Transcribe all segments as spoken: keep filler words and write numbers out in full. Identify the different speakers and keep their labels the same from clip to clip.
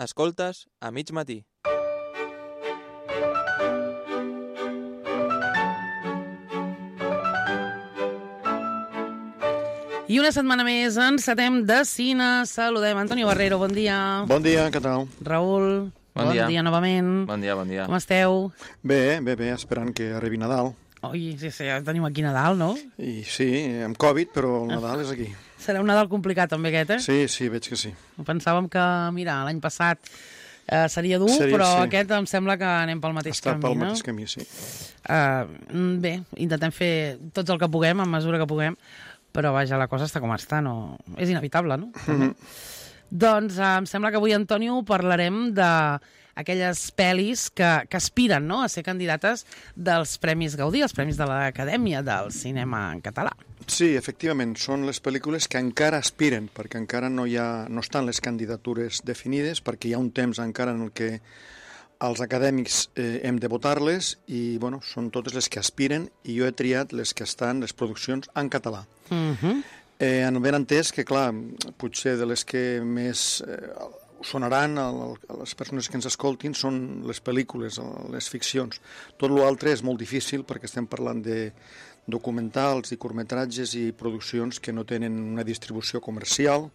Speaker 1: Escoltes a mig matí.
Speaker 2: I una setmana més encetem de cine. Saludem Antonio Barrero, bon dia.
Speaker 3: Bon dia, què tal?
Speaker 2: Raül,
Speaker 1: Bon
Speaker 2: bon
Speaker 1: dia.
Speaker 2: dia novament.
Speaker 1: Bon dia, bon dia.
Speaker 2: Com esteu?
Speaker 3: Bé, bé, bé, esperant que arribi Nadal.
Speaker 2: Ui, sí, sí, ja tenim aquí Nadal, no?
Speaker 3: I sí, amb Covid, però el Nadal és aquí.
Speaker 2: Serà un Nadal complicat també aquest, eh?
Speaker 3: Sí, sí, veig que sí.
Speaker 2: Pensàvem que, mira, l'any passat eh, seria dur,
Speaker 3: Seria,
Speaker 2: però
Speaker 3: sí.
Speaker 2: aquest em sembla que anem pel mateix
Speaker 3: Està
Speaker 2: camí,
Speaker 3: pel
Speaker 2: no?
Speaker 3: mateix camí, sí.
Speaker 2: Uh, bé, intentem fer tots el que puguem, en mesura que puguem, però vaja, la cosa està com està, no? És inevitable, no?
Speaker 3: Mhm.
Speaker 2: Doncs uh, em sembla que avui, Antonio, parlarem d'aquelles pel·lis que, que aspiren, no?, a ser candidates dels Premis Gaudí, els Premis de l'Acadèmia del Cinema en Català.
Speaker 3: Sí, efectivament, són les pel·lícules que encara aspiren, perquè encara no hi ha, no estan les candidatures definides, perquè hi ha un temps encara en el que els acadèmics eh, hem de votar-les i, bueno, són totes les que aspiren i jo he triat les que estan, les produccions en català.
Speaker 2: Mhm.
Speaker 3: Eh, en ben entès que, clar, potser de les que més eh, sonaran a, a les persones que ens escoltin són les pel·lícules, les ficcions. Tot l'altre és molt difícil perquè estem parlant de documentals i curtmetratges i produccions que no tenen una distribució comercial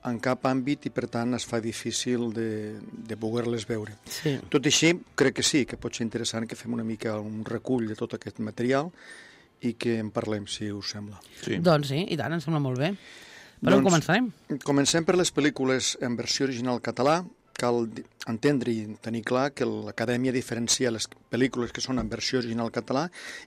Speaker 3: en cap àmbit i, per tant, es fa difícil de, de poder-les veure.
Speaker 2: Sí.
Speaker 3: Tot i així, crec que sí, que pot ser interessant que fem una mica un recull de tot aquest material i que en parlem, si us sembla.
Speaker 1: Sí.
Speaker 2: Doncs sí, i tant, em sembla molt bé. Per on
Speaker 3: Doncs,
Speaker 2: començarem?
Speaker 3: Comencem per les pel·lícules en versió original català. Cal di- entendre i tenir clar que l'Acadèmia diferencia les pel·lícules que són en versió original català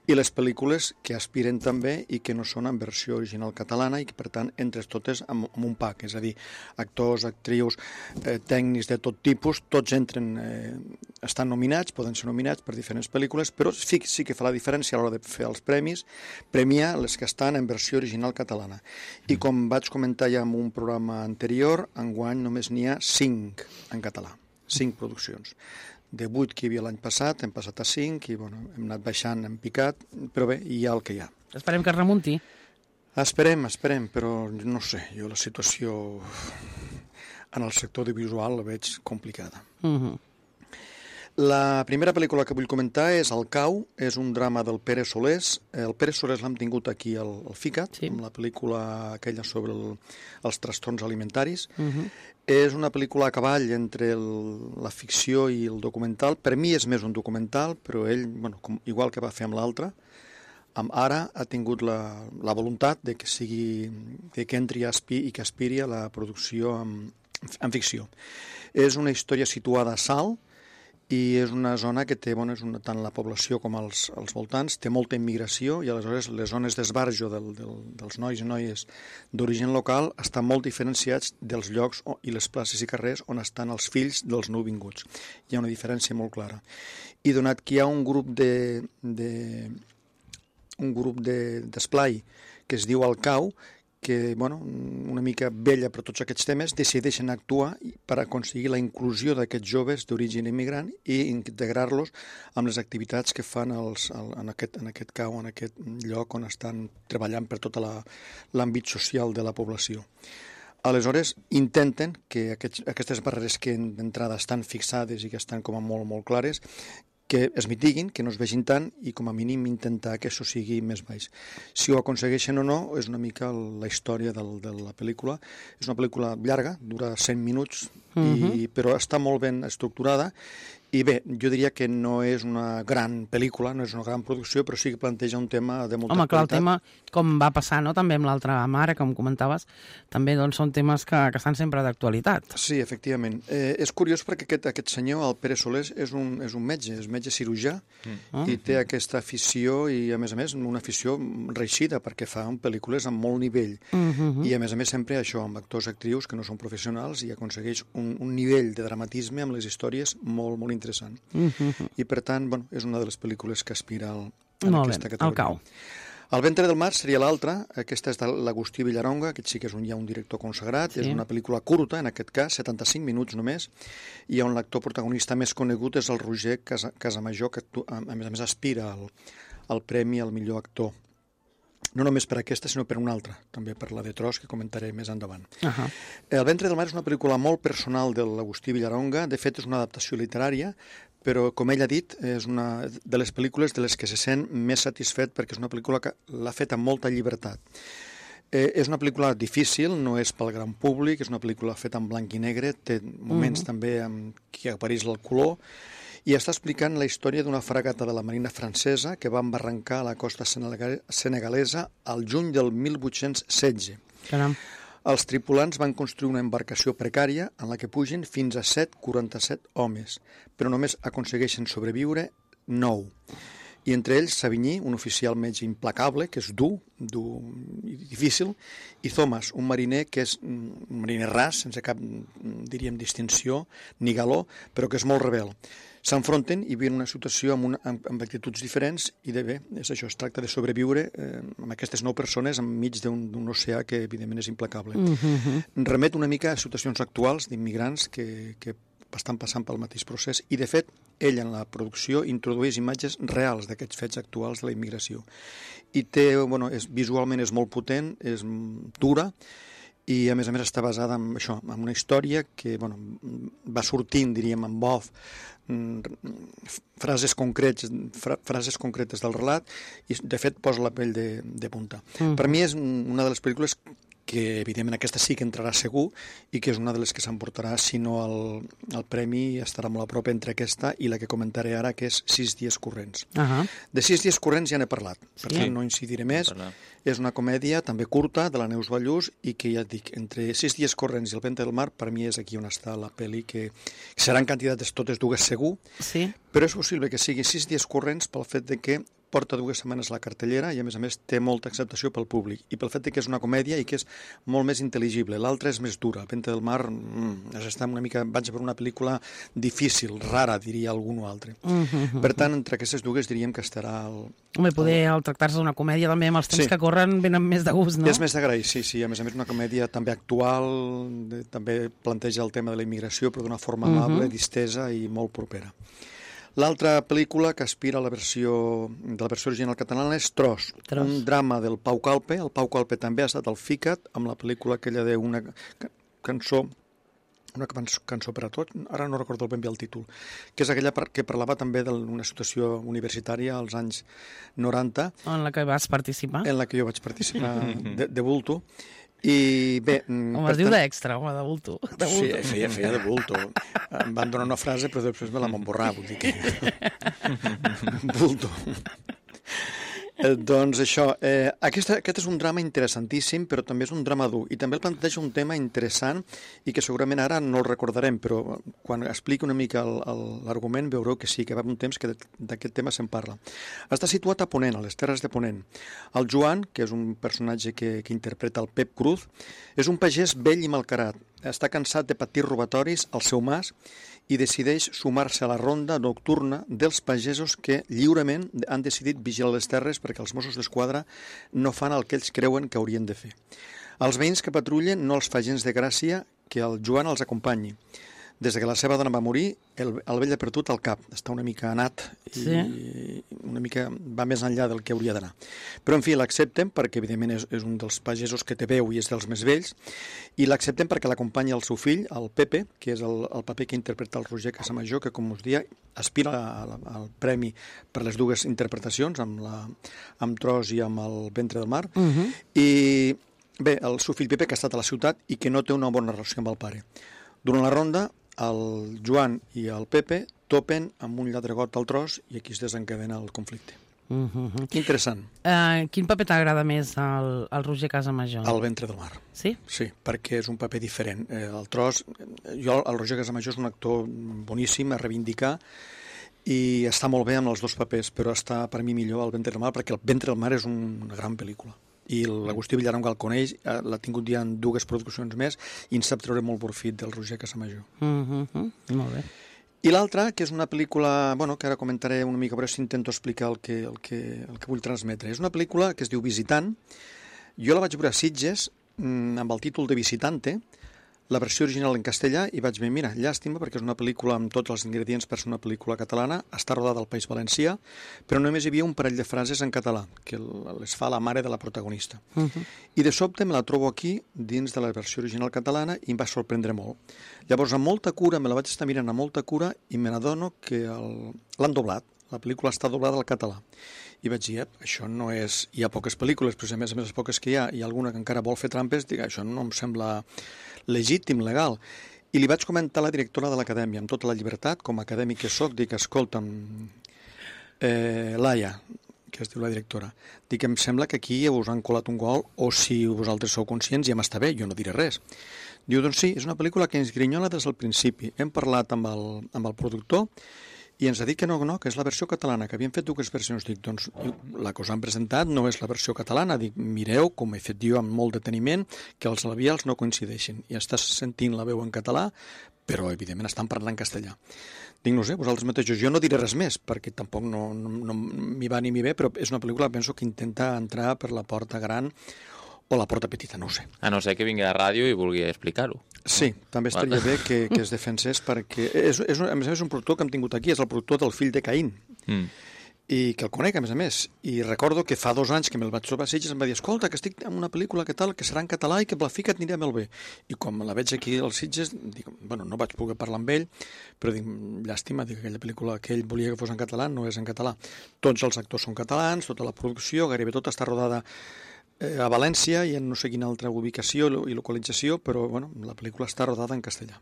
Speaker 3: i les pel·lícules que aspiren també i que no són en versió original catalana i que, per tant, entres totes en, en un pack, és a dir, actors, actrius, eh, tècnics de tot tipus, tots entren, eh, estan nominats, poden ser nominats per diferents pel·lícules, però sí, sí que fa la diferència a l'hora de fer els premis, premiar les que estan en versió original catalana. I com vaig comentar ja en un programa anterior, enguany només n'hi ha cinc en català, cinc produccions. De vuit que hi havia l'any passat, hem passat a cinc i bueno, hem anat baixant en picat, però bé, hi ha el que hi ha.
Speaker 2: Esperem que es remunti.
Speaker 3: Esperem, esperem, però no sé, jo la situació en el sector audiovisual la veig complicada.
Speaker 2: Mhm.
Speaker 3: La primera pel·lícula que vull comentar és El cau, és un drama del Pere Solés. El Pere Solés l'hem tingut aquí al, al FICAT,
Speaker 2: Sí.
Speaker 3: amb la pel·lícula aquella sobre el, els trastorns alimentaris.
Speaker 2: Mhm.
Speaker 3: És una pel·lícula a cavall entre el, la ficció i el documental. Per mi és més un documental, però ell, bueno, com, igual que va fer amb l'altre, amb Ara ha tingut la, la voluntat de que sigui, de que entri a aspi, i que aspiri a la producció en, en ficció. És una història situada a Salt, i és una zona que té, bueno, és una, tant la població com els, els voltants, té molta immigració i aleshores les zones d'esbarjo del, del, dels nois i noies d'origen local estan molt diferenciats dels llocs o, i les places i carrers on estan els fills dels nouvinguts. Hi ha una diferència molt clara. I donat que hi ha un grup de, de un grup de, d'esplai que es diu El Cau, que, bueno, una mica vella per tots aquests temes, decideixen actuar per aconseguir la inclusió d'aquests joves d'origen immigrant i integrar-los amb les activitats que fan els, el, en, aquest, en aquest cau, en aquest lloc on estan treballant per tot l'àmbit social de la població. Aleshores, intenten que aquests, aquestes barreres que d'entrada estan fixades i que estan com a molt, molt clares, que es mitiguin, que no es vegin tant i com a mínim intentar que això sigui més baix. Si ho aconsegueixen o no és una mica la història del, de la pel·lícula. És una pel·lícula llarga, dura cent minuts,
Speaker 2: Mhm.
Speaker 3: i, però està molt ben estructurada i bé, jo diria que no és una gran pel·lícula, no és una gran producció, però sí que planteja un tema de molta
Speaker 2: Home, clar, el
Speaker 3: qualitat.
Speaker 2: tema, com va passar, no?, també amb l'altra mare, com comentaves, també doncs, són temes que, que estan sempre d'actualitat.
Speaker 3: Sí, efectivament. Eh, és curiós perquè aquest, aquest senyor, el Pere Solés, és un, és un metge, és metge cirurgià,
Speaker 2: Ah.
Speaker 3: i té aquesta afició, i a més a més una afició reeixida, perquè fa pel·lícules amb molt nivell.
Speaker 2: Mhm.
Speaker 3: I a més a més sempre això, amb actors i actrius que no són professionals, i aconsegueix un, un nivell de dramatisme amb les històries molt, molt interessant.
Speaker 2: Mhm.
Speaker 3: I per tant, bueno, és una de les pel·lícules que aspira al, en
Speaker 2: Molt
Speaker 3: aquesta
Speaker 2: bé, El
Speaker 3: categoria.
Speaker 2: Cau.
Speaker 3: El ventre del mar seria l'altra, aquesta és de l'Agustí Villaronga, aquest sí que és un, ja un director consagrat,
Speaker 2: Sí.
Speaker 3: és una pel·lícula curta, en aquest cas, setanta-cinc minuts només, i on l'actor protagonista més conegut és el Roger Casa, Casamajor, que actua, a més a més aspira al, al premi al millor actor. no només per aquesta, sinó per una altra, també per la de Tros, que comentaré més endavant.
Speaker 2: Uh -huh.
Speaker 3: El ventre del mar és una pel·lícula molt personal de l'Agustí Villaronga, de fet és una adaptació literària, però, com ell ha dit, és una de les pel·lícules de les que se sent més satisfet perquè és una pel·lícula que l'ha fet amb molta llibertat. Eh, és una pel·lícula difícil, no és pel gran públic, és una pel·lícula feta en blanc i negre, té moments uh -huh. també en què apareix el color, i està explicant la història d'una fragata de la marina francesa que va embarrancar a la costa senegalesa al juny del mil vuit-cents setze.
Speaker 2: Caram.
Speaker 3: Els tripulants van construir una embarcació precària en la que pugen fins a set coma quaranta-set homes, però només aconsegueixen sobreviure nou. I entre ells Savigny, un oficial metge implacable, que és dur, dur i difícil, i Thomas, un mariner que és un mariner ras, sense cap, diríem, distinció, ni galó, però que és molt rebel. S'enfronten i viuen una situació amb, una, amb, amb actituds diferents i de bé, és això, es tracta de sobreviure eh, amb aquestes nou persones enmig d'un oceà que evidentment és implacable.
Speaker 2: Uh -huh.
Speaker 3: Remet una mica a situacions actuals d'immigrants que, que estan passant pel mateix procés i de fet ell en la producció introdueix imatges reals d'aquests fets actuals de la immigració. I té, bueno, és, visualment és molt potent, és dura, i a més a més està basada en això, en una història que bueno, va sortint, diríem, en off, frases concretes, fra, frases concretes del relat, i de fet posa la pell de, de punta. Mm. Per mi és una de les pel·lícules que evidentment aquesta sí que entrarà segur i que és una de les que s'emportarà, si no el, el premi estarà molt a prop entre aquesta i la que comentaré ara, que és Sis dies corrents. Uh -huh. De Sis dies corrents ja n'he parlat, per sí. tant no incidiré més. És una comèdia també curta de la Neus Ballús i que ja et dic, entre Sis dies corrents i El ventre del mar, per mi és aquí on està la pel·li, que seran candidates totes dues segur, sí. però és possible que sigui Sis dies corrents pel fet de que porta dues setmanes a la cartellera i, a més a més, té molta acceptació pel públic. I pel fet que és una comèdia i que és molt més intel·ligible. L'altra és més dura. El ventre del mar, mm, està una mica... vaig per una pel·lícula difícil, rara, diria algun o altre. Uh -huh. Per tant, entre aquestes dues diríem que estarà... El,
Speaker 2: Home, poder, el... al tractar-se d'una comèdia, també, amb els temps sí. que corren, venen més de gust, no?
Speaker 3: És més d'agrair, sí, sí. A més a més, una comèdia també actual, de, també planteja el tema de la immigració, però d'una forma amable, uh -huh. distesa i molt propera. L'altra pel·lícula que aspira a la versió, de la versió original catalana és Tros, Tros, un drama del Pau Calpe. El Pau Calpe també ha estat al FICAT amb la pel·lícula aquella d'una cançó, una cançó per a tots, ara no recordo ben bé el títol, que és aquella que parlava també d'una situació universitària als anys noranta.
Speaker 2: En la que vas participar.
Speaker 3: En la que jo vaig participar de, de bulto. I bé...
Speaker 2: Home, es diu d'extra, home, de bulto. De bulto.
Speaker 3: Sí, feia, feia de bulto. Em van donar una frase, però després me la van borrar, vull dir que... bulto. Eh, doncs això, eh, aquesta, aquest és un drama interessantíssim, però també és un drama dur, i també el planteja un tema interessant i que segurament ara no el recordarem, però quan expliqui una mica l'argument veureu que sí, que va un temps que d'aquest tema se'n parla. Està situat a Ponent, a les Terres de Ponent. El Joan, que és un personatge que, que interpreta el Pep Cruz, és un pagès vell i malcarat. Està cansat de patir robatoris al seu mas i decideix sumar-se a la ronda nocturna dels pagesos que lliurement han decidit vigilar les terres perquè els Mossos d'Esquadra no fan el que ells creuen que haurien de fer. Els veïns que patrullen no els fa gens de gràcia que el Joan els acompanyi. Des que la seva dona va morir, el, el vell ha perdut el cap, està una mica anat i sí. una mica va més enllà del que hauria d'anar. Però, en fi, l'accepten perquè, evidentment, és, és un dels pagesos que té veu i és dels més vells, i l'accepten perquè l'acompanya el seu fill, el Pepe, que és el, el paper que interpreta el Roger Casamajor, que, com us dia, aspira al, al premi per les dues interpretacions, amb, la, amb Tros i amb El ventre del mar, uh -huh. i bé, el seu fill Pepe, que ha estat a la ciutat i que no té una bona relació amb el pare. Durant la ronda, el Joan i el Pepe topen amb un lladregot al Tros i aquí es desencadena el conflicte. Uh -huh. Interessant.
Speaker 2: Uh, quin paper t'agrada més al, al Roger Casamajor?
Speaker 3: El ventre del mar.
Speaker 2: Sí?
Speaker 3: Sí, perquè és un paper diferent. Eh, el Tros, jo, el Roger Casamajor és un actor boníssim a reivindicar i està molt bé amb els dos papers, però està per mi millor el ventre del mar perquè el ventre del mar és una gran pel·lícula. I l'Agustí Villaronga el coneix, l'ha tingut ja en dues produccions més i en sap treure molt profit del Roger Casamajor.
Speaker 2: Uh -huh. Molt bé.
Speaker 3: I l'altra, que és una pel·lícula, bueno, que ara comentaré una mica, però si intento explicar el que, el, que, el que vull transmetre. És una pel·lícula que es diu Visitant. Jo la vaig veure a Sitges amb el títol de Visitante. la versió original en castellà i vaig dir, mira, llàstima, perquè és una pel·lícula amb tots els ingredients per ser una pel·lícula catalana, està rodada al País Valencià, però només hi havia un parell de frases en català, que les fa la mare de la protagonista. Uh -huh. I de sobte me la trobo aquí, dins de la versió original catalana, i em va sorprendre molt. Llavors, amb molta cura, me la vaig estar mirant amb molta cura, i me n'adono que el... l'han doblat. La pel·lícula està doblada al català. I vaig dir, això no és... Hi ha poques pel·lícules, però a més a més les poques que hi ha, hi ha alguna que encara vol fer trampes, dic, això no em sembla legítim, legal. I li vaig comentar a la directora de l'acadèmia, amb tota la llibertat, com a acadèmic que soc, dic, escolta'm, eh, Laia, que es diu la directora, dic, em sembla que aquí us han colat un gol, o si vosaltres sou conscients ja m'està bé, jo no diré res. Diu, doncs sí, és una pel·lícula que ens grinyola des del principi. Hem parlat amb el, amb el productor, i ens ha dit que no, no, que és la versió catalana, que havien fet dues versions. Dic, doncs, la que us han presentat no és la versió catalana. Dic, mireu, com he fet jo amb molt deteniment, que els labials no coincideixen. I estàs sentint la veu en català, però, evidentment, estan parlant en castellà. Dic, no sé, vosaltres mateixos, jo no diré res més, perquè tampoc no, no, no m'hi va ni m'hi ve, però és una pel·lícula, penso, que intenta entrar per la porta gran o la porta petita, no ho sé.
Speaker 4: A no ser que vingui a la ràdio i vulgui explicar-ho.
Speaker 3: Sí, també estaria bé que, que es defensés, perquè és, és, a més a més, un productor que hem tingut aquí, és el productor del Fill de Caín, mm. i que el conec, a més a més. I recordo que fa dos anys que me'l vaig trobar a Sitges em va dir, escolta, que estic en una pel·lícula que tal, que serà en català i que amb la fica et anirà molt bé. I com la veig aquí als Sitges, dic, bueno, no vaig poder parlar amb ell, però dic, llàstima, dic, aquella pel·lícula que ell volia que fos en català no és en català. Tots els actors són catalans, tota la producció, gairebé tota està rodada a València i en no sé quina altra ubicació i localització, però bueno, la pel·lícula està rodada en castellà.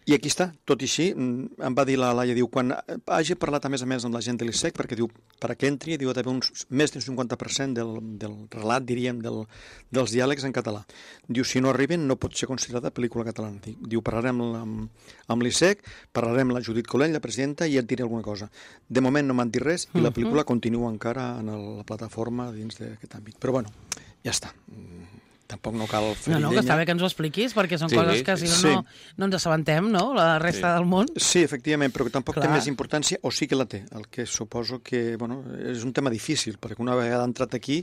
Speaker 3: I aquí està, tot i així, em va dir la Laia, diu, quan hagi parlat a més a més amb la gent de l'I S E C, perquè diu, perquè entri, diu, ha d'haver uns, més d'un cinquanta per cent del, del relat, diríem, del, dels diàlegs en català. Diu, si no arriben, no pot ser considerada pel·lícula catalana. Diu, parlarem amb, amb l'I S E C, parlarem amb la Judit Colell, la presidenta, i et diré alguna cosa. De moment no m'han dit res i la pel·lícula continua encara en el, la plataforma dins d'aquest àmbit. Però bueno, ja està. Tampoc no cal fer
Speaker 2: No, no, que està bé que ens ho expliquis, perquè són sí, coses que si no, sí. no, no ens assabentem, no?, la resta sí. del món.
Speaker 3: Sí, efectivament, però que tampoc Clar. té més importància, o sí que la té, el que suposo que, bueno, és un tema difícil, perquè una vegada entrat aquí,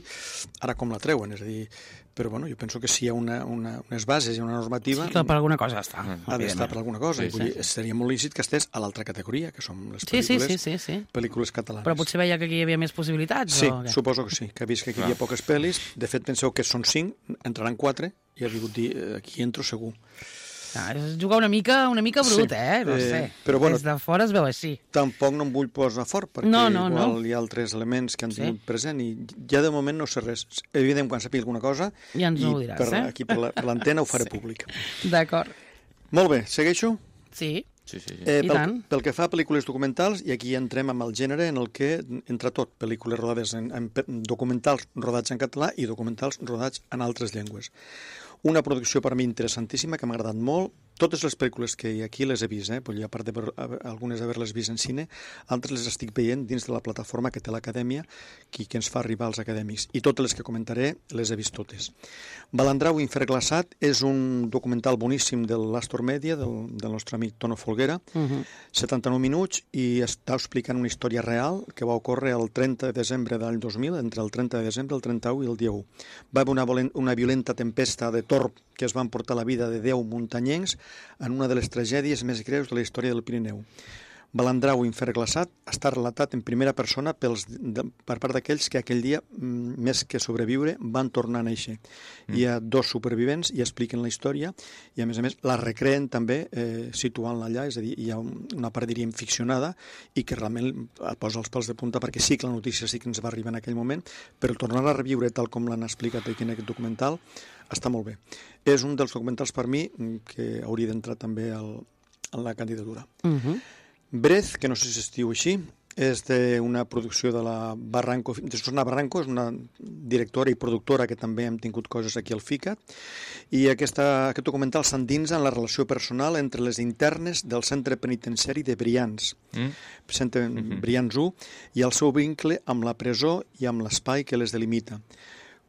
Speaker 3: ara com la treuen, és a dir, però bueno, jo penso que si hi ha una, una, unes bases i una normativa...
Speaker 2: Sí, que per alguna cosa està.
Speaker 3: Ha d'estar per alguna cosa, sí, i vull dir, sí. seria molt lícit que estés a l'altra categoria, que són les pel·lícules,
Speaker 2: sí, sí, sí, sí.
Speaker 3: pel·lícules catalanes.
Speaker 2: Però potser veia que aquí hi havia més possibilitats?
Speaker 3: Sí,
Speaker 2: o què?
Speaker 3: suposo que sí, que ha vist que aquí hi ha poques pel·lis, de fet penseu que són cinc, entraran quatre, i ha vingut dir, aquí entro segur.
Speaker 2: Ah, és jugar una mica una mica brut, sí. eh? No sé. Eh, però bueno, des de fora es veu així.
Speaker 3: Tampoc no em vull posar fort, perquè no, no, igual no. hi ha altres elements que han tingut sí. present i ja de moment no sé res. Evident, quan sàpiga alguna cosa,
Speaker 2: ja ens ho diràs,
Speaker 3: per,
Speaker 2: eh?
Speaker 3: aquí per l'antena ho faré sí. públic.
Speaker 2: D'acord.
Speaker 3: Molt bé, segueixo?
Speaker 2: Sí.
Speaker 4: Sí, sí, sí.
Speaker 3: Eh, pel, pel que fa a pel·lícules documentals, i aquí entrem amb el gènere en el que entra tot, pel·lícules rodades en, en documentals rodats en català i documentals rodats en altres llengües. Una producció per a mi interessantíssima, que m'ha agradat molt. Totes les pel·lícules que aquí les he vist, eh? Vull dir, a part de algunes haver-les vist en cine, altres les estic veient dins de la plataforma que té l'Acadèmia, que, que ens fa arribar als acadèmics. I totes les que comentaré les he vist totes. Balandrau Inferglaçat és un documental boníssim de l'Astor Media, del, del nostre amic Tono Folguera, uh-huh. setanta-nou minuts, i està explicant una història real que va ocórrer el trenta de desembre de l'any dos mil, entre el trenta de desembre, el trenta-u i el dia u. Va haver una, una violenta tempesta de torb que es van portar la vida de deu muntanyencs en una de les tragèdies més greus de la història del Pirineu. Balandrau Inferglaçat està relatat en primera persona pels, de, per part d'aquells que aquell dia, més que sobreviure, van tornar a néixer. Mm. Hi ha dos supervivents i expliquen la història i, a més a més, la recreen també eh, situant-la allà, és a dir, hi ha una part, diríem, ficcionada i que realment et posa els pèls de punta perquè sí que la notícia sí que ens va arribar en aquell moment, però tornar a reviure tal com l'han explicat aquí en aquest documental està molt bé. És un dels documentals per mi que hauria d'entrar també al, en la candidatura. Uh-huh. Brez, que no sé si es diu així, és d'una producció de la Barranco, de Susana Barranco, és una directora i productora que també hem tingut coses aquí al FICAT, i aquesta, aquest documental s'endinsa en la relació personal entre les internes del centre penitenciari de Brians, mm. centre mm-hmm. Brians u, i el seu vincle amb la presó i amb l'espai que les delimita.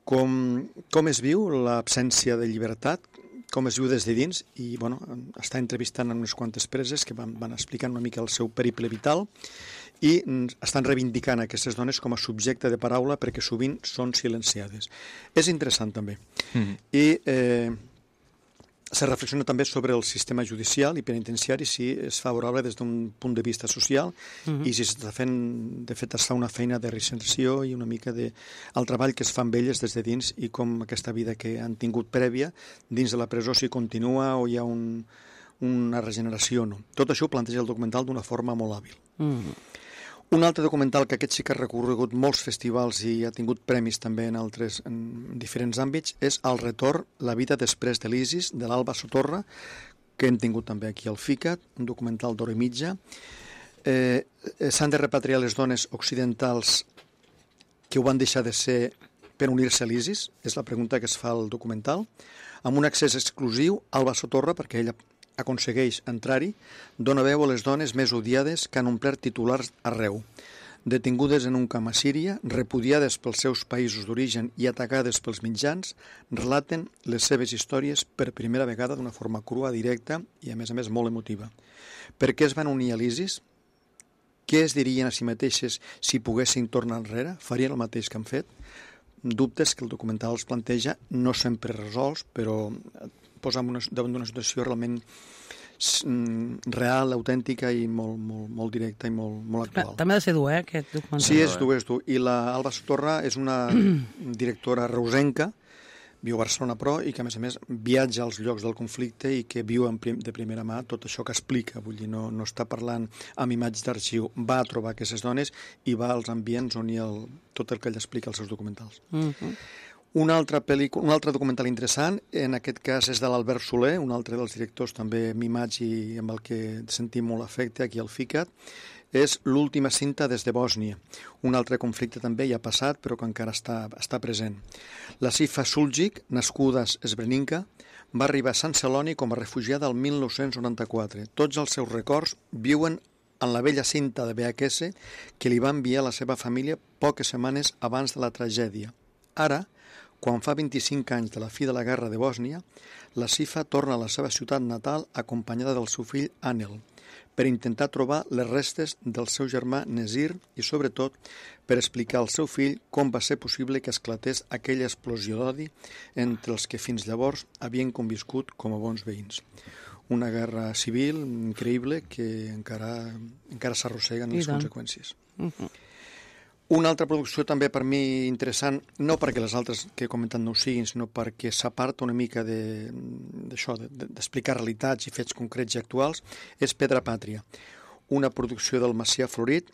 Speaker 3: Com, com es viu l'absència de llibertat, com es viu des de dins, i bueno, està entrevistant en unes quantes preses que van, van explicant una mica el seu periple vital i estan reivindicant aquestes dones com a subjecte de paraula perquè sovint són silenciades. És interessant també. Mm-hmm. I eh, Se reflexiona també sobre el sistema judicial i penitenciari, si és favorable des d'un punt de vista social uh-huh. i si s'està fent, de fet, es fa una feina de reinserció i una mica de el treball que es fa amb elles des de dins i com aquesta vida que han tingut prèvia dins de la presó si continua o hi ha un, una regeneració o no. Tot això ho planteja el documental d'una forma molt hàbil. Uh-huh. Un altre documental que aquest sí que ha recorregut molts festivals i ha tingut premis també en altres en diferents àmbits és El retorn, la vida després de l'Isis, de l'Alba Sotorra, que hem tingut també aquí al FICAT, un documental d'hora i mitja. Eh, S'han de repatriar les dones occidentals que ho van deixar de ser per unir-se a l'Isis, és la pregunta que es fa al documental, amb un accés exclusiu a Alba Sotorra, perquè ella aconsegueix entrar-hi, dona veu a les dones més odiades que han omplert titulars arreu. Detingudes en un camp a Síria, repudiades pels seus països d'origen i atacades pels mitjans, relaten les seves històries per primera vegada d'una forma crua, directa i, a més a més, molt emotiva. Per què es van unir a l'Isis? Què es dirien a si mateixes si poguessin tornar enrere? Farien el mateix que han fet? Dubtes que el documental els planteja, no sempre resolts, però posa davant d'una situació realment real, autèntica i molt, molt, molt directa i molt, molt actual.
Speaker 2: També ha de ser dur, eh, aquest documental.
Speaker 3: Sí, és dur, és dur. I la Alba Sotorra és una directora reusenca, viu a Barcelona però, i que a més a més viatja als llocs del conflicte i que viu de primera mà tot això que explica. Vull dir, no, no està parlant amb imatges d'arxiu, va a trobar aquestes dones i va als ambients on hi ha el, tot el que ell explica als seus documentals. Uh-huh. Un altre, pel·lícula, un altre documental interessant, en aquest cas és de l'Albert Soler, un altre dels directors també mimats i amb el que sentim molt afecte aquí al FICAT, és L'última cinta des de Bòsnia. Un altre conflicte també ja passat, però que encara està, està present. La Sifa Suljic, nascuda a Srebrenica, va arribar a Sant Celoni com a refugiada el mil nou-cents noranta-quatre. Tots els seus records viuen en la vella cinta de V H S que li va enviar la seva família poques setmanes abans de la tragèdia. Ara, quan fa vint-i-cinc anys de la fi de la guerra de Bòsnia, la Sifa torna a la seva ciutat natal acompanyada del seu fill Anel, per intentar trobar les restes del seu germà Nezir i, sobretot, per explicar al seu fill com va ser possible que esclatés aquella explosió d'odi entre els que fins llavors havien conviscut com a bons veïns. Una guerra civil increïble que encara, encara s'arrosseguen les conseqüències. Uh-huh. Una altra producció també per mi interessant, no perquè les altres que he comentat no ho siguin, sinó perquè s'aparta una mica d'això, de, de, d'explicar realitats i fets concrets i actuals, és Pedra Pàtria, una producció del Macià Florit,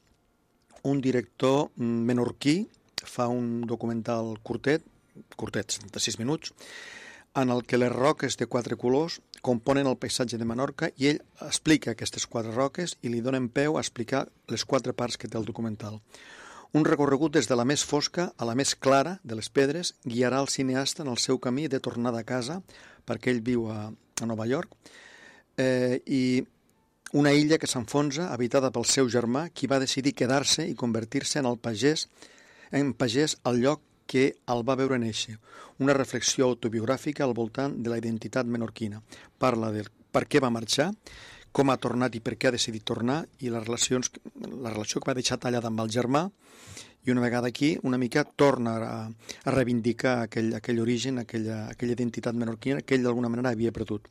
Speaker 3: un director menorquí, fa un documental curtet, curtet, setanta-sis minuts, en el que les roques de quatre colors componen el paisatge de Menorca i ell explica aquestes quatre roques i li donen peu a explicar les quatre parts que té el documental. Un recorregut des de la més fosca a la més clara de les pedres guiarà el cineasta en el seu camí de tornada a casa, perquè ell viu a, a Nova York, eh, i una illa que s'enfonsa, habitada pel seu germà, qui va decidir quedar-se i convertir-se en el pagès, en pagès al lloc que el va veure néixer. Una reflexió autobiogràfica al voltant de la identitat menorquina. Parla de per què va marxar, com ha tornat i per què ha decidit tornar, i les relacions, la relació que va deixar tallada amb el germà, i una vegada aquí, una mica torna a, a reivindicar aquell, aquell origen, aquella, aquella identitat menorquina que ell d'alguna manera havia perdut.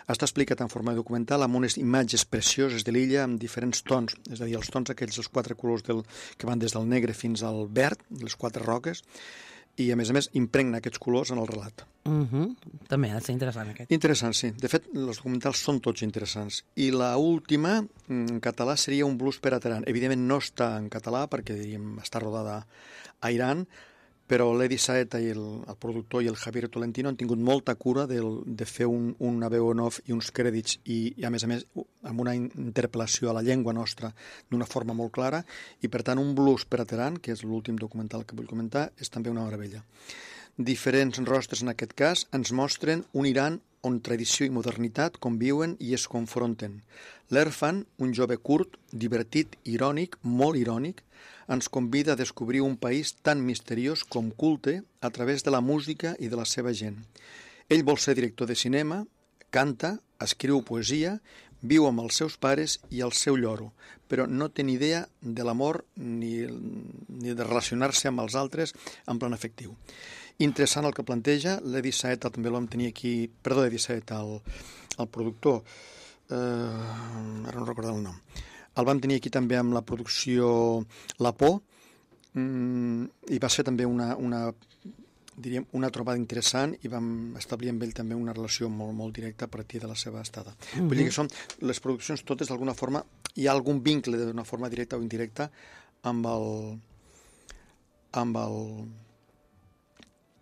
Speaker 3: Està explicat en forma documental amb unes imatges precioses de l'illa amb diferents tons, és a dir, els tons aquells dels quatre colors del, que van des del negre fins al verd, les quatre roques, i a més a més impregna aquests colors en el relat.
Speaker 2: Uh-huh. També ha de ser interessant aquest.
Speaker 3: Interessant, sí. De fet, els documentals són tots interessants. I la última, en català, seria Un blues per a Teheran. Evidentment no està en català perquè, diríem, està rodada a Iran, però l'Edi Saeta i el, el productor i el Javier Tolentino han tingut molta cura de, de fer un, una veu en off i uns crèdits i, i a més a més amb una interpel·lació a la llengua nostra d'una forma molt clara, i per tant Un blues per a Teheran, que és l'últim documental que vull comentar, és també una meravella. Diferents rostres en aquest cas ens mostren un Iran on tradició i modernitat conviuen i es confronten. L'Erfan, un jove curt, divertit, irònic, molt irònic, ens convida a descobrir un país tan misteriós com culte a través de la música i de la seva gent. Ell vol ser director de cinema, canta, escriu poesia, viu amb els seus pares i el seu lloro, però no té ni idea de l'amor ni, ni de relacionar-se amb els altres en plan afectiu. Interessant el que planteja. L'Edi Saeta també el vam tenir aquí... Perdó, Edi Saeta, el, el productor. Eh, ara no recordo el nom. El vam tenir aquí també amb la producció La Por, mm, i va ser també una, una, diríem, una trobada interessant i vam establir amb ell també una relació molt, molt directa a partir de la seva estada. Mm-hmm. Vull dir que són les produccions totes d'alguna forma, hi ha algun vincle d'una forma directa o indirecta amb el amb el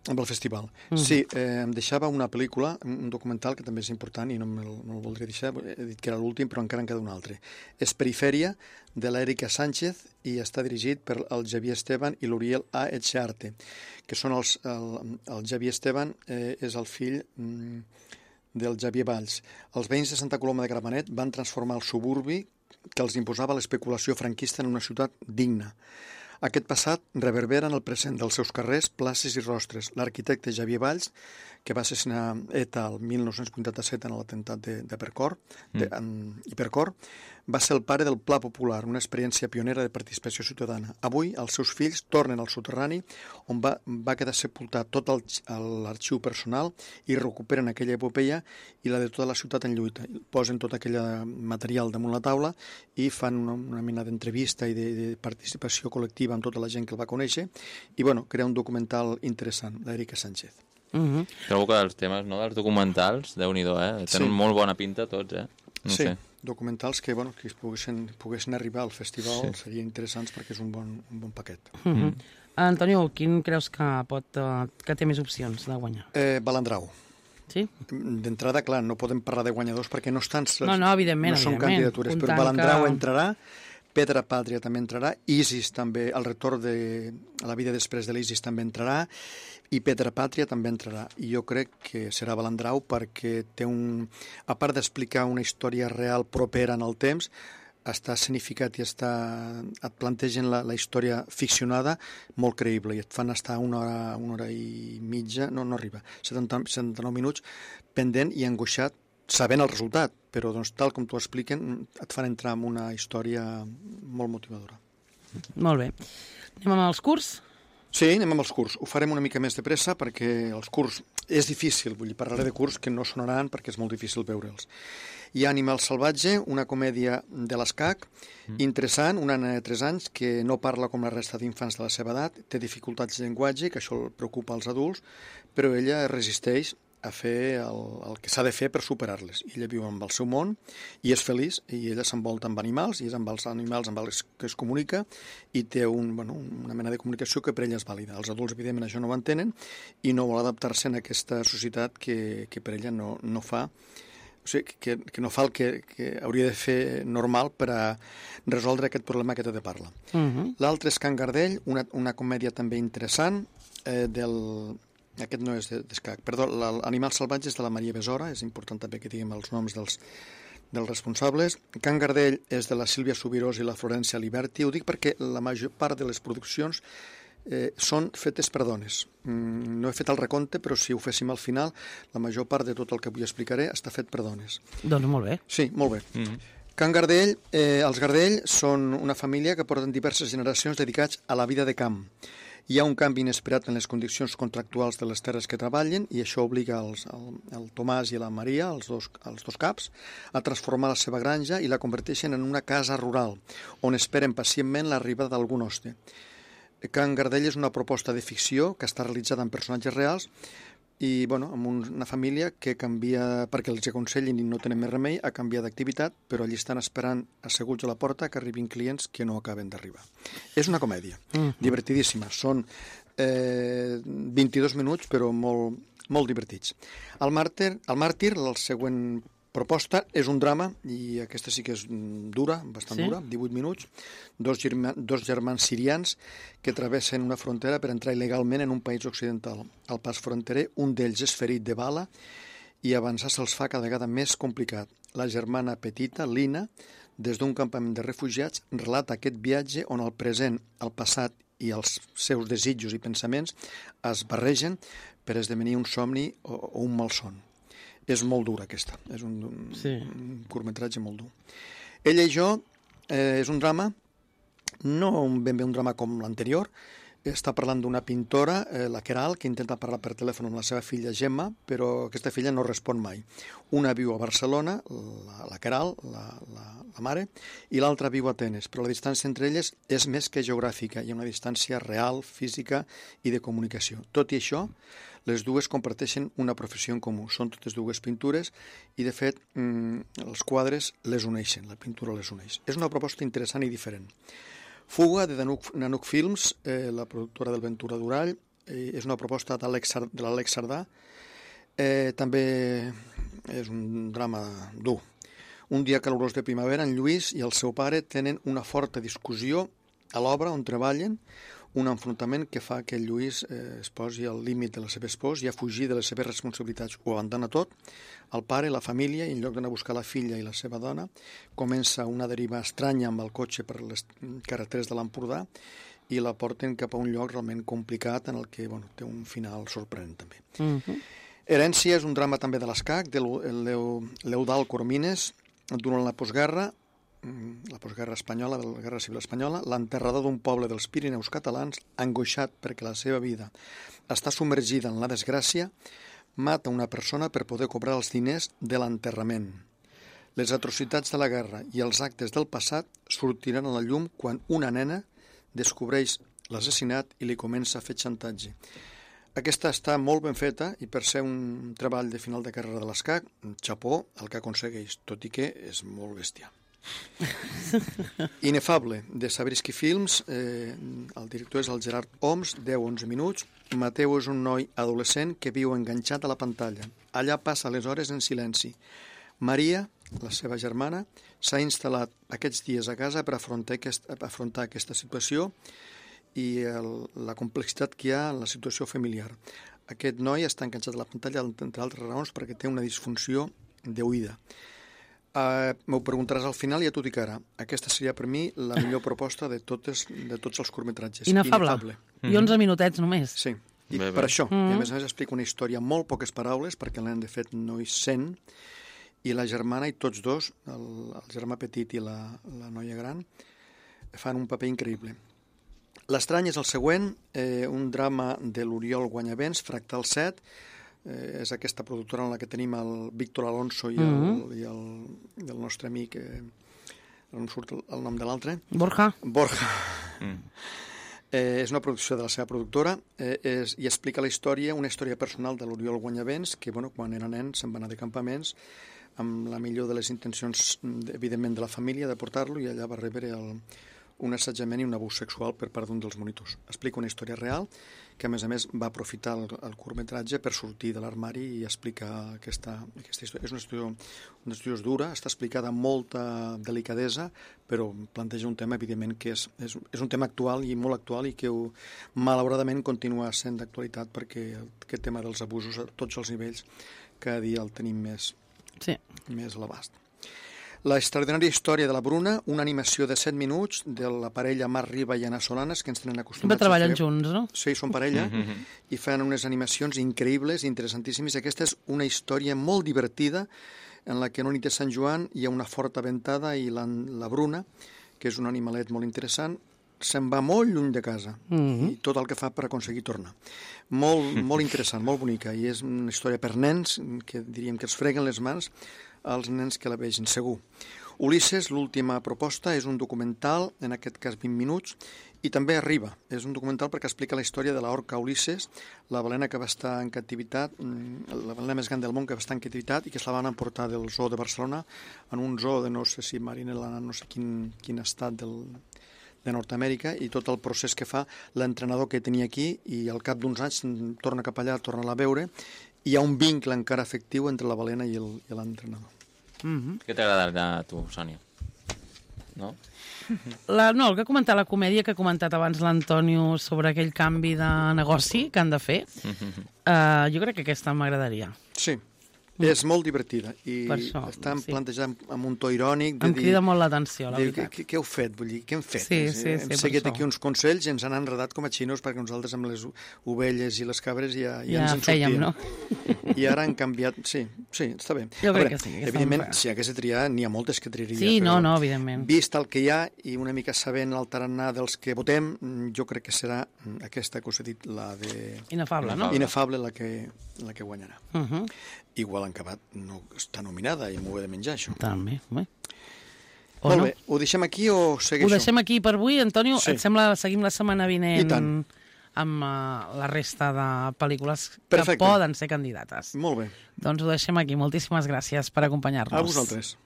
Speaker 3: amb el festival. Mm. Sí, eh, em deixava una pel·lícula, un documental que també és important i no me'l no el voldria deixar, he dit que era l'últim, però encara en queda un altre. És Perifèria, de l'Èrica Sánchez, i està dirigit per el Xavier Esteban i l'Uriel A. Etxearte, que són els... El, el Xavier Esteban eh, és el fill mm, del Xavier Valls. Els veïns de Santa Coloma de Gramenet van transformar el suburbi que els imposava l'especulació franquista en una ciutat digna. Aquest passat reverbera en el present dels seus carrers, places i rostres. L'arquitecte Xavier Valls, que va assassinar ETA el mil nou-cents vuitanta-set en l'atemptat de, de Percor, de, en Hipercor, va ser el pare del Pla Popular, una experiència pionera de participació ciutadana. Avui, els seus fills tornen al soterrani, on va, va quedar sepultat tot l'arxiu personal i recuperen aquella epopeia i la de tota la ciutat en lluita. Posen tot aquell material damunt la taula i fan una, una mena d'entrevista i de, de participació col·lectiva amb tota la gent que el va conèixer i, bueno, crea un documental interessant, l'Èrica Sánchez.
Speaker 4: Uh-huh. Trobo que els temes, no, dels documentals, Déu-n'hi-do, eh? Tenen sí. molt bona pinta tots, eh? No
Speaker 3: sí,
Speaker 4: sé.
Speaker 3: Documentals que, bueno, que poguessin, poguessin arribar al festival sí. serien interessants perquè és un bon, un bon paquet.
Speaker 2: Uh-huh. Mm. Antonio, quin creus que pot uh, que té més opcions de guanyar?
Speaker 3: Eh, Balandrau.
Speaker 2: Sí?
Speaker 3: D'entrada, clar, no podem parlar de guanyadors perquè no estan...
Speaker 2: No, no, evidentment,
Speaker 3: no són
Speaker 2: evidentment.
Speaker 3: candidatures, però Balandrau que... entrarà, Pedra Pàtria també entrarà, Isis també, el retorn de la vida després de l'Isis també entrarà, i Pedra Pàtria també entrarà. I jo crec que serà Balandrau perquè té un... A part d'explicar una història real propera en el temps, està escenificat i està, et plantegen la, la història ficcionada molt creïble i et fan estar una hora, una hora i mitja, no, no arriba, setanta, setanta-nou minuts pendent i angoixat sabent el resultat, però doncs, tal com t'ho expliquen et fan entrar en una història molt motivadora.
Speaker 2: Molt bé. Anem amb els curs?
Speaker 3: Sí, anem amb els curs. Ho farem una mica més de pressa perquè els curs és difícil, vull dir, parlaré de curs que no sonaran perquè és molt difícil veure'ls. Hi ha Animal salvatge, una comèdia de l'Escac, mm. interessant, una nena de tres anys que no parla com la resta d'infants de la seva edat, té dificultats de llenguatge, que això preocupa als adults, però ella resisteix a fer el, el que s'ha de fer per superar-les. Ella viu amb el seu món i és feliç, i ella s'envolta amb animals, i és amb els animals amb els que es comunica, i té un, bueno, una mena de comunicació que per ella és vàlida. Els adults, evidentment, això no ho entenen, i no vol adaptar-se en aquesta societat que, que per ella no, no fa... O sigui, que, que no fa el que, que hauria de fer normal per a resoldre aquest problema que té de parla. Uh-huh. L'altre és Can Gardell, una, una comèdia també interessant, eh, del... Aquest no és d'Escac, perdó, l'Animal salvatge és de la Maria Besora, és important també que diguem els noms dels, dels responsables. Can Gardell és de la Sílvia Subirós i la Florència Liberti. Ho dic perquè la major part de les produccions eh, són fetes per dones. Mm, no he fet el recompte, però si ho féssim al final, la major part de tot el que avui explicaré està fet per dones.
Speaker 2: Doncs molt bé.
Speaker 3: Sí, molt bé. Mm-hmm. Can Gardell, eh, els Gardell són una família que porten diverses generacions dedicats a la vida de camp. Hi ha un canvi inesperat en les condicions contractuals de les terres que treballen i això obliga els, el, el Tomàs i la Maria, els dos, els dos caps, a transformar la seva granja i la converteixen en una casa rural, on esperen pacientment l'arribada d'algun hoste. Can Gardell és una proposta de ficció que està realitzada amb personatges reals i, bueno, amb una família que canvia, perquè els aconsellin i no tenen més remei, a canviar d'activitat, però allí estan esperant asseguts a la porta que arribin clients que no acaben d'arribar. És una comèdia, mm-hmm. divertidíssima. Són eh, vint-i-dos minuts, però molt, molt divertits. El Màrtir, el Màrtir, la següent proposta, és un drama, i aquesta sí que és dura, bastant sí? dura, divuit minuts, dos, germans, dos germans sirians que travessen una frontera per entrar il·legalment en un país occidental. Al pas fronterer, un d'ells és ferit de bala i avançar se'ls fa cada vegada més complicat. La germana petita, Lina, des d'un campament de refugiats, relata aquest viatge on el present, el passat i els seus desitjos i pensaments es barregen per esdevenir un somni o, o un malson. És molt dura, aquesta. És un, un, sí. un curtmetratge molt dur. Ella i jo eh, és un drama, no ben bé un drama com l'anterior, està parlant d'una pintora, eh, la Queralt, que intenta parlar per telèfon amb la seva filla Gemma, però aquesta filla no respon mai. Una viu a Barcelona, la, la Queralt, la, la, la mare, i l'altra viu a Atenes, però la distància entre elles és més que geogràfica, hi ha una distància real, física i de comunicació. Tot i això, les dues comparteixen una professió en comú. Són totes dues pintures i, de fet, els quadres les uneixen, la pintura les uneix. És una proposta interessant i diferent. Fuga, de Nanuc Films, eh, la productora del Ventura Durall, eh, és una proposta de l'Àlex Sardà. Eh, també és un drama dur. Un dia calorós de primavera, en Lluís i el seu pare tenen una forta discussió a l'obra on treballen, un enfrontament que fa que el Lluís eh, es posi al límit de la seva esposa i a fugir de les seves responsabilitats. Ho abandona tot, el pare, la família, i en lloc d'anar a buscar la filla i la seva dona, comença una deriva estranya amb el cotxe per les carreteres de l'Empordà i la porten cap a un lloc realment complicat en el que bueno, té un final sorprenent també. Uh-huh. Herència és un drama també de l'Escac, de l'Eudald Coromines, durant la postguerra, la postguerra espanyola, de la Guerra Civil Espanyola, l'enterrador d'un poble dels Pirineus catalans, angoixat perquè la seva vida està submergida en la desgràcia, mata una persona per poder cobrar els diners de l'enterrament. Les atrocitats de la guerra i els actes del passat sortiran a la llum quan una nena descobreix l'assassinat i li comença a fer xantatge. Aquesta està molt ben feta i per ser un treball de final de carrera de l'Escac, xapó el que aconsegueix, tot i que és molt bestial. Inefable, de Sabrisky Films, eh, el director és el Gerard Oms, deu a onze minuts. Mateu és un noi adolescent que viu enganxat a la pantalla. Allà passa les hores en silenci. Maria, la seva germana, s'ha instal·lat aquests dies a casa per afrontar, aquest, afrontar aquesta situació i el, la complexitat que hi ha en la situació familiar. Aquest noi està enganxat a la pantalla, entre altres raons, perquè té una disfunció d'oïda. Uh, m'ho preguntaràs al final i ja t'ho dic ara. Aquesta seria per mi la millor proposta de, totes, de tots els curtmetratges.
Speaker 2: Inefable. Inefable. I onze minutets només.
Speaker 3: Sí, i
Speaker 4: bé, bé.
Speaker 3: per això.
Speaker 2: Mm-hmm.
Speaker 3: I a més a més explica una història amb molt poques paraules, perquè el nen de fet no hi sent, i la germana i tots dos, el, el germà petit i la, la noia gran, fan un paper increïble. L'estrany és el següent, eh, un drama de l'Oriol Guanyavents, Fractal set, Eh, és aquesta productora en la que tenim el Víctor Alonso i el, mm-hmm. i el, i el nostre amic, eh, no em surt el, el nom de l'altre.
Speaker 2: Borja.
Speaker 3: Borja.
Speaker 4: Mm.
Speaker 3: Eh, és una producció de la seva productora eh, és, i explica la història, una història personal de l'Oriol Guanyavents, que bueno, quan era nen se'n va anar de campaments amb la millor de les intencions, evidentment, de la família, de portar-lo, i allà va rebre el, un assetjament i un abús sexual per part d'un dels monitors. Explica una història real que, a més a més, va aprofitar el, el curtmetratge per sortir de l'armari i explicar aquesta, aquesta història. És una història, una història dura, està explicada amb molta delicadesa, però planteja un tema, evidentment, que és, és, és un tema actual i molt actual i que, malauradament, continua sent d'actualitat perquè aquest tema dels abusos a tots els nivells cada dia el tenim més,
Speaker 2: sí.
Speaker 3: més a l'abast. La extraordinària història de la Bruna, una animació de set minuts de la parella Marc Riba i Anna Solanes, que ens tenen acostumats
Speaker 2: a fer... treballen
Speaker 3: a fer...
Speaker 2: junts, no?
Speaker 3: Sí, són parella, mm-hmm. i fan unes animacions increïbles, interessantíssimes. Aquesta és una història molt divertida, en la que en una nit de Sant Joan hi ha una forta ventada i la, la Bruna, que és un animalet molt interessant, se'n va molt lluny de casa, mm-hmm. i tot el que fa per aconseguir tornar. Molt, molt interessant, molt bonica, i és una història per nens, que diríem que els freguen les mans als nens que la vegin, segur. Ulisses, l'última proposta, és un documental, en aquest cas vint minuts, i també arriba. És un documental perquè explica la història de l'orca Ulisses, la balena que va estar en captivitat, la balena més gran del món que va estar en captivitat i que se la van emportar del zoo de Barcelona en un zoo de no sé si Marinela, no sé quin, quin estat del, de Nord-Amèrica, i tot el procés que fa l'entrenador que tenia aquí, i al cap d'uns anys torna cap allà, torna a veure, i hi ha un vincle encara efectiu entre la balena i l'entrenador.
Speaker 2: Mm-hmm.
Speaker 4: Què t'agrada a tu, Sònia? No?
Speaker 2: La, no, el que ha comentat, la comèdia que ha comentat abans l'Antonio sobre aquell canvi de negoci que han de fer, mm-hmm. uh, jo crec que aquesta m'agradaria.
Speaker 3: Sí, És molt divertida i
Speaker 2: Per això,
Speaker 3: està
Speaker 2: sí.
Speaker 3: plantejada amb un to irònic. De
Speaker 2: Em
Speaker 3: dir,
Speaker 2: crida molt l'atenció, la
Speaker 3: de,
Speaker 2: veritat.
Speaker 3: què, què heu fet? Vull dir, què hem fet?
Speaker 2: Sí, sí,
Speaker 3: hem
Speaker 2: sí, per
Speaker 3: seguit
Speaker 2: això.
Speaker 3: aquí uns consells i ens han enredat com a xinos perquè nosaltres amb les ovelles i les cabres ja, ja,
Speaker 2: Ja
Speaker 3: ens en
Speaker 2: fèiem,
Speaker 3: sortíem.
Speaker 2: no?
Speaker 3: I ara han canviat... Sí, sí, està bé.
Speaker 2: Jo
Speaker 3: A
Speaker 2: crec
Speaker 3: veure,
Speaker 2: que sí, que
Speaker 3: evidentment,
Speaker 2: estan-
Speaker 3: si hagués de triar, n'hi ha moltes que triaria.
Speaker 2: Sí,
Speaker 3: però
Speaker 2: no, no, evidentment.
Speaker 3: Vist el que hi ha i una mica sabent el tarannà dels que votem, jo crec que serà aquesta que us he dit, la de...
Speaker 2: Inefable, no?
Speaker 3: Inefable, la que, la que guanyarà.
Speaker 2: Uh -huh.
Speaker 3: Igual en acabat no està nominada i m'ho he de menjar, això.
Speaker 2: També, bé. O
Speaker 3: Molt
Speaker 2: no?
Speaker 3: bé, ho deixem aquí o segueixo?
Speaker 2: Ho deixem aquí per avui. Antonio,
Speaker 3: Sí.
Speaker 2: et sembla seguim la setmana vinent
Speaker 3: I tant.
Speaker 2: amb uh, la resta de pel·lícules que
Speaker 3: Perfecte.
Speaker 2: poden ser candidates?
Speaker 3: Molt bé.
Speaker 2: Doncs ho deixem aquí. Moltíssimes gràcies per acompanyar-nos.
Speaker 3: A vosaltres.